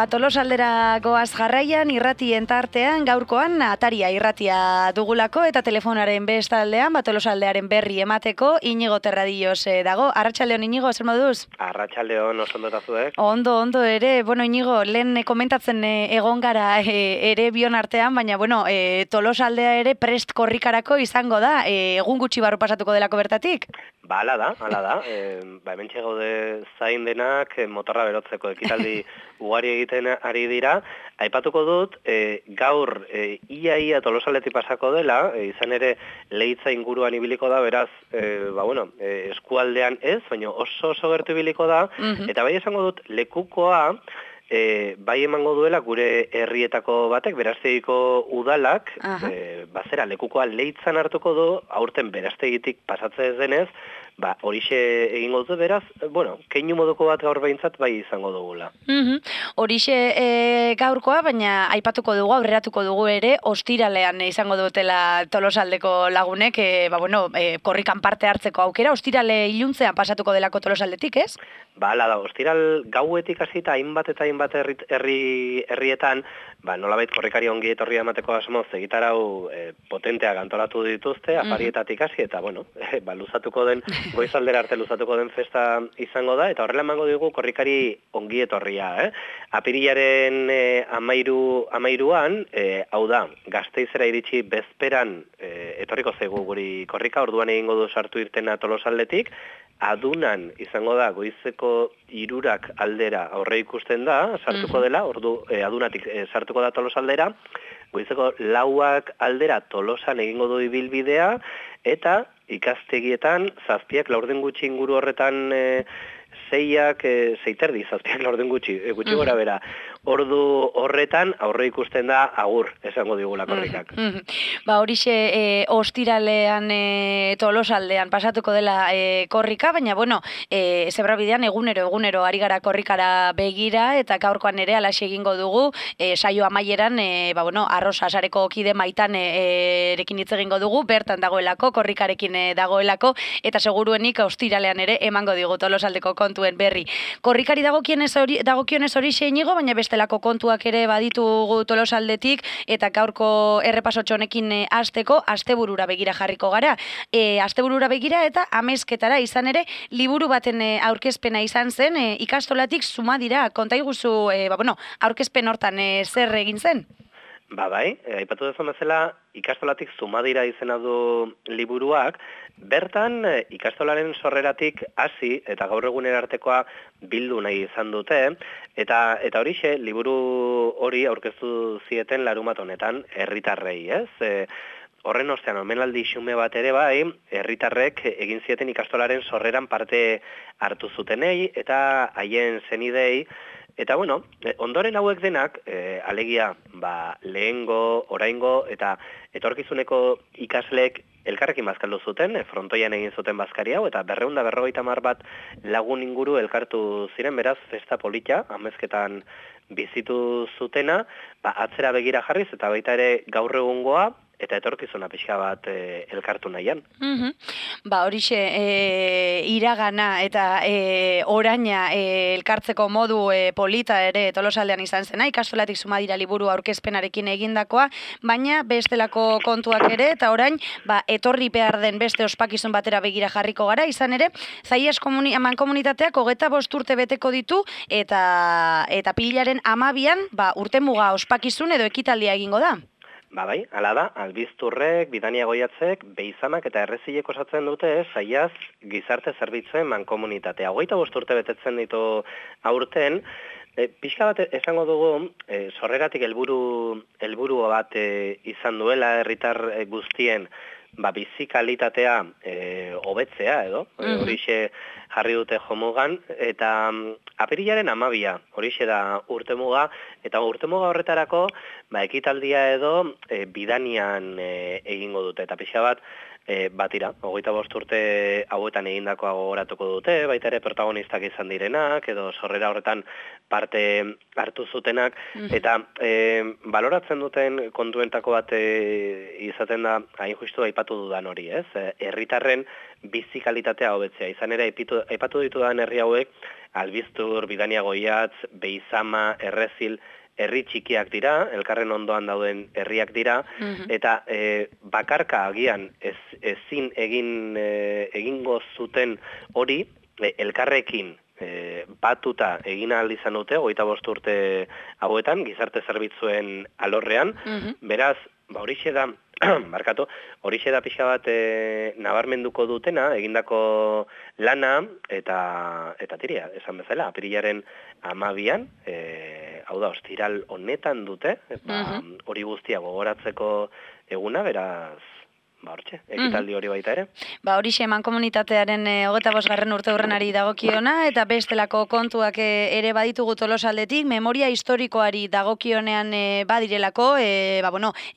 Tolosaldera goaz jarraian, irratien tartean, gaurkoan Ataria irratia dugulako eta telefonaren bestaldean, Tolosaldearen berri emateko Inigo Terradillos dago. Arratsaldeon Inigo, zer moduz? Arratsaldeon, oso ondo eta zuek? Ondo ere. Bueno, Inigo, lehen komentatzen egon gara ere bion artean, baina bueno, Tolosaldea ere prest korrikarako izango da, egun gutxi barru pasatuko delako bertatik? Hala da. Hementxe gaude zain denak motorra berotzeko ekitaldi ugari egiten ari dira. Aipatuko dut, gaur ia Tolosaldetik pasako dela, izan ere Leitza inguruan ibiliko da, beraz, eskualdean ez, baina oso gertu ibiliko da, eta bai esango dut lekukoa, bai emango duela gure herrietako batek, Beraztegiko udalak, bazera lekukoa Leitzan hartuko du, aurten Beraztegitik pasatzen ez denez, horixe egingo dut, beraz, keinu moduko bat gaur behintzat bai izango dugula. Horixe gaurkoa, baina aipatuko dugu, aurreratuko dugu ere, ostiralean izango dutela Tolosaldeko lagunek, korrikan parte hartzeko aukera, ostirale iluntzean pasatuko delako Tolosaldetik, ez? Hala da, ostiral gauetik hasita hainbat herrietan, nolabait korrikari ongi etorria emateko asmoz egitarau potenteak antolatu dituzte, afarietatik hasi, eta luzatuko den, goizaldera arte luzatuko den festa izango da, eta horrela emango dugu korrikari ongi etorria. Apirilaren amairuan, hau da, Gasteizera iritsi bezperan etorriko zaigu guri korrika, orduan egingo du sartu irtena Tolosaldetik, adunan izango da, goizeko 3 aldera aurre ikusten da, sartuko dela, adunatik sartuko da Tolosaldera, goizeko 4 aldera Tolosan egingo du ibilbidea, eta ikastegietan, 7 laurden gutxi inguru horretan 6:30, 7 laurden gutxi gora bera. Ordu horretan aurre ikusten da agur, esango digula korrikak. Horixe ostiralean Tolosaldean pasatuko dela korrika, baina zebrabidean egunero ari gara korrikara begira, eta gaurkoan ere alaxe egingo dugu, saio amaieran, Arrosa Sareko kide Maitan erekin hitz egingo dugu, bertan dagoelako, korrikarekin dagoelako, eta seguruenik ostiralean ere emango digu Tolosaldeko kontuen berri. Korrikari dagokionez horixe Inigo, baina bestelako kontuak ere baditugu Tolosaldetik, eta gaurko errepasotxo honekin hasteko asteburura begira jarriko gara. Asteburura begira eta amezketara izan ere liburu baten aurkezpena izan zen, ikastolatik Zumadira. Konta iguzu, aurkezpen hortan zer egin zen? Bai, aipatu dezan bezala, ikastolatik Zumadira izena du liburuak, bertan ikastolaren sorreratik hasi eta gaur egunera artekoa bildu nahi izan dute, eta horixe, liburu hori aurkeztu zieten larumat honetan herritarrei, ez? Horren ostean, omenaldi xume bat ere bai, herritarrek egin zieten ikastolaren sorreran parte hartu zutenei eta haien zenidei. Eta ondoren hauek denak, alegia, lehengo, oraingo eta etorkizuneko ikasleek elkarrekin bazkaldu zuten, frontoian egin zuten bazkari hau, eta 250 bat lagun inguru elkartu ziren, beraz, festa polita, amezketan bizitu zutena, atzera begira jarriz, eta baita ere gaur egungoa, eta etorkizuna pixka bat elkartu nahian. Horixe, iragana eta oraina elkartzeko modu polita ere Tolosaldean izan zena, ikastolatik Zumadira liburu aurkezpenarekin egindakoa, baina bestelako kontuak ere, eta orain, etorri behar den beste ospakizun batera begira jarriko gara, izan ere, Zaias mankomunitateak 25 urte beteko ditu, eta pilaren 12an, urtemuga ospakizun edo ekitaldia egingo da. Bai, hala da, Albizturrek, Bidania Goiatzek, Beizamak eta Errezilek osatzen dute Zaias gizarte zerbitzuen mankomunitatea. 25 urte betetzen ditu aurten, pixka bat esango dugu, sorreratik helburu bat izan duela herritar guztien bizi kalitatea hobetzea edo, horixe jarri dute jomugan, eta apirilaren 12, horixe da urtemuga, eta urtemuga horretarako ekitaldia edo Bidanian egingo dute, eta pixka bat batira, 25 urte hauetan egindakoa gogoratuko dute, baita ere protagonistak izan direnak, edo sorrera horretan parte hartu zutenak, eta baloratzen duten kontuentako bat izaten da, hain justu aipatu dudan hori, ez? Herritarren bizi kalitatea hobetzea. Izan ere, aipatu ditudan herri hauek, Albiztur, Bidania Goiatz, Beizama, Errezil, herri txikiak dira, elkarren ondoan dauden herriak dira, eta bakarka agian ezin egingo zuten hori elkarrekin batuta egin ahal izan dute, 25 urte hauetan, gizarte zerbitzuen alorrean, beraz, horixe da, markatu, horixe da pixka bat nabarmenduko dutena, egindako lana, eta tiria, esan bezala, apirilaren 12an, hau da, ostiral honetan dute, hori guztia gogoratzeko eguna, beraz, hortxe, ekitaldi hori baita ere. Horixe eman komunitatearen 25. urte hurrenari dagokiona, eta bestelako kontuak ere baditugu Tolosaldetik, memoria historikoari dagokionean badirelako,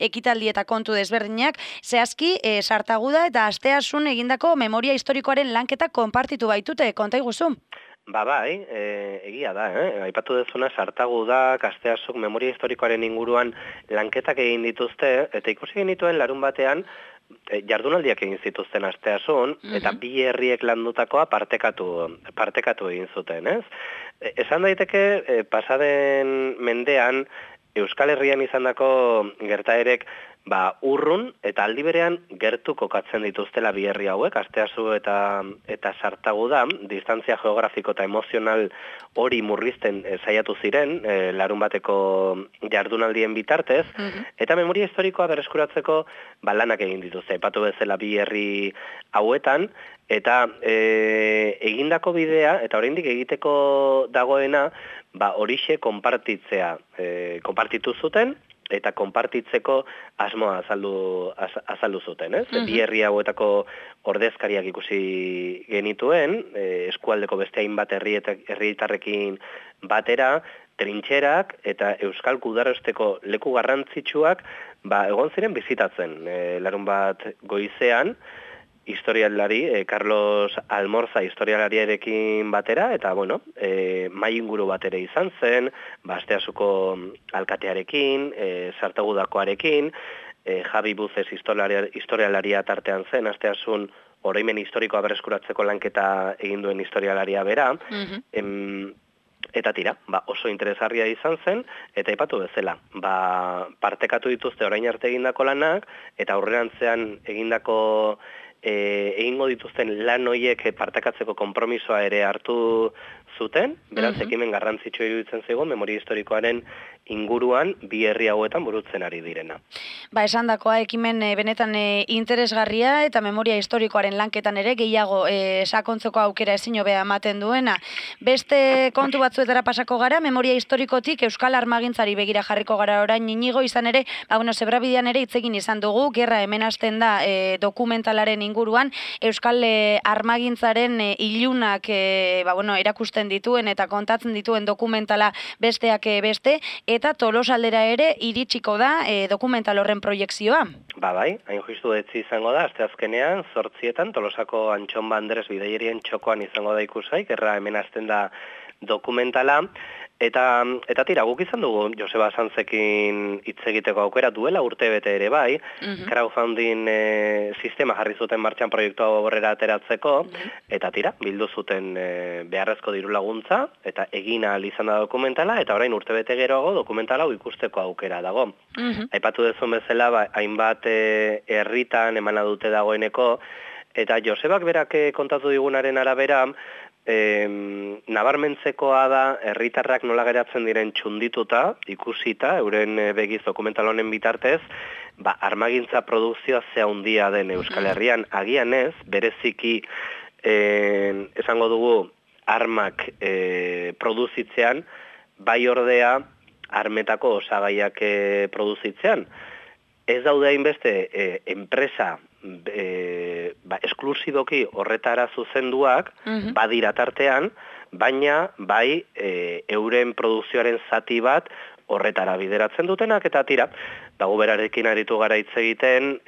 ekitaldi eta kontu desberdinak, zehazki, Sartaguda eta Asteasun egindako memoria historikoaren lanketa konpartitu baitute, konta iguzu? Bai, egia da, aipatu dezuna Sartaguda, Asteasuk memoria historikoaren inguruan lanketak egin dituzte, eta ikusi genituen larun batean, jardunaldiak egin zituzten Asteasun, eta bi herriek landutakoa partekatu egin zuten, ez? Esan daiteke, pasaden mendean, Euskal Herrian izandako gertaerek urrun eta aldi berean gertu kokatzen dituztela bi herri hauek, Asteasu eta Sartaguda, distantzia geografiko eta emozional hori murrizten saiatu ziren, larun bateko jardunaldien bitartez, eta memoria historikoa berreskuratzeko lanak egin dituzte, aipatu bezala bi herri hauetan, eta egindako bidea, eta oraindik egiteko dagoena, horixe konpartitu zuten, eta konpartitzeko asmoa azaldu zuten, ez? Bi herri hauetako ordezkariak ikusi genituen, eskualdeko beste hainbat herritarrekin batera, trintxerak eta euskal gudarosteko leku garrantzitsuak egon ziren bizitatzen. Larun bat goizean, historialari, Carlos Almorza historialariarekin batera, eta, mai inguru bat ere izan zen, Asteasuko alkatearekin, Sartagudakoarekin, Javi Buzes historialaria tartean zen, Asteasun oroimen historikoa berreskuratzeko lanketa egin duen historialaria bera, eta tira, oso interesgarria izan zen, eta aipatu bezala, partekatu dituzte orain arte egindako lanak, eta aurrerantzean egingo dituzten lan horiek partekatzeko konpromisoa ere hartu zuten, beraz ekimen garrantzitsu iruditzen zaigu memoria historikoaren inguruan bi herri hauetan burutzen ari direna. Esandakoa ekimen benetan interesgarria eta memoria historikoaren lanketan ere gehiago sakontzeko aukera ezin hobea ematen duena. Beste kontu batzuetara pasako gara, memoria historikotik Euskal Armagintzari begira jarriko gara orain Inigo, izan ere, Zebrabidean ere hitz egin izan dugu, gerra hemen hasten da dokumentalaren inguruan, Euskal Armagintzaren ilunak erakusten dituen eta kontatzen dituen dokumentala besteak beste, eta Tolosaldera ere iritsiko da dokumental horren proiekzioa. Bai, hain justu etzi izango da, asteazkenean, 8:00 Tolosako Antxon Bandres bidaierien txokoan izango da ikusai, gerra hemen hasten da dokumentala, eta tira, guk izan dugu Joseba Santzekin hitz egiteko aukera duela urtebete ere bai, crowdfunding sistema jarri zuten martxan proiektua aurrera ateratzeko, eta tira, bildu zuten beharrezko diru laguntza, eta egin ahal izan da dokumentala, eta orain urtebete geroago dokumentala hau ikusteko aukera dago. Aipatu dezun bezala, hainbat herritan emana dute dagoeneko, eta Josebak berak kontatu digunaren arabera, nabarmentzekoa da herritarrak nola geratzen diren txundituta, ikusita, euren begiz dokumental honen bitartez, armagintza produkzioa ze handia den Euskal Herrian, agian ez, bereziki esango dugu armak produzitzean, bai ordea armetako osagaiak produzitzean. Ez daude hainbeste enpresa esklusiboki horretara zuzenduak, badira tartean, baina bai euren produkzioaren zati bat horretara bideratzen dutenak, eta tira, dago berarekin aritu gara hitz egiten,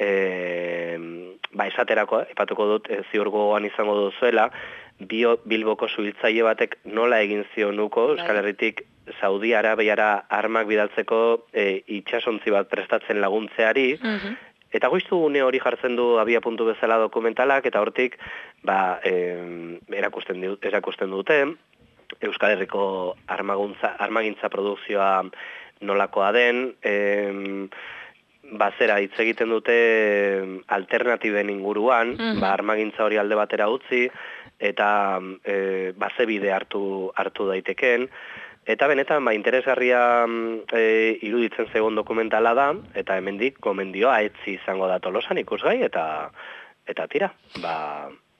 esaterako, ipatuko dut, ziur gogoan izango duzuela, Bilboko suhiltzaile batek nola egin zionuko, Euskal Herritik Saudi Arabiara armak bidaltzeko itsasontzi bat prestatzen laguntzeari, eta goiztu une hori jartzen du abia puntu bezala dokumentalak, eta hortik erakusten dute, Euskal Herriko armagintza produkzioa nolakoa den, zera hitz egiten dute alternatiben inguruan, armagintza hori alde batera utzi, eta ze bide hartu daiteken, eta benetan interesgarria iruditzen zegoen dokumentala da, eta hemendik gomendioa etzi izango da Tolosan ikusgai, eta tira,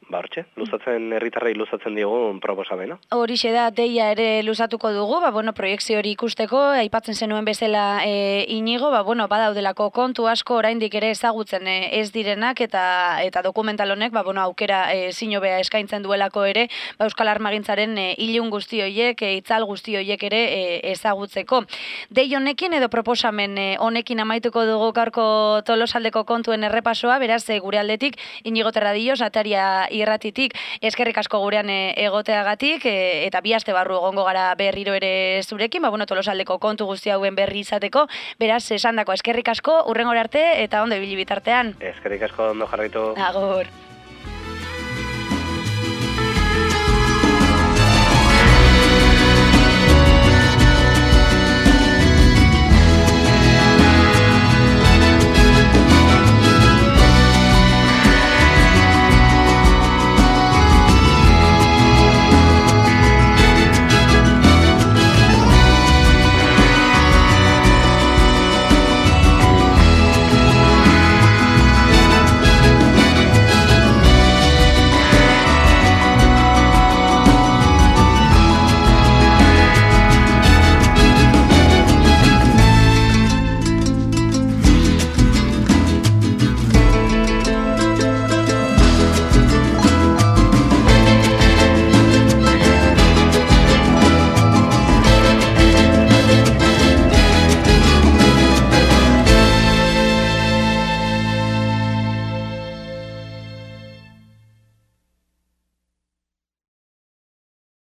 hortxe, herritarrei luzatzen diogun proposamena. Horixe da, deia ere luzatuko dugu, proiekzio hori ikusteko, aipatzen zenuen bezala Inigo, badaudelako kontu asko oraindik ere ezagutzen ez direnak, eta dokumental honek, aukera zinobea eskaintzen duelako ere, Euskal Armagintzaren ilun guzti horiek, itzal guzti horiek ere ezagutzeko. Dei honekin edo proposamen honekin amaituko dugu gaurko Tolosaldeko kontuen errepasoa, beraz, gure aldetik, Inigo Terradillos, Ataria irratitik, eskerrik asko gurean egoteagatik, eta bi aste barru egongo gara berriro ere zurekin, Tolosaldeko kontu guzti hauen berri izateko, beraz, esandako eskerrik asko, hurrengora arte, eta ondo ibili bitartean. Eskerrik asko, ondo jarraitu. Agur.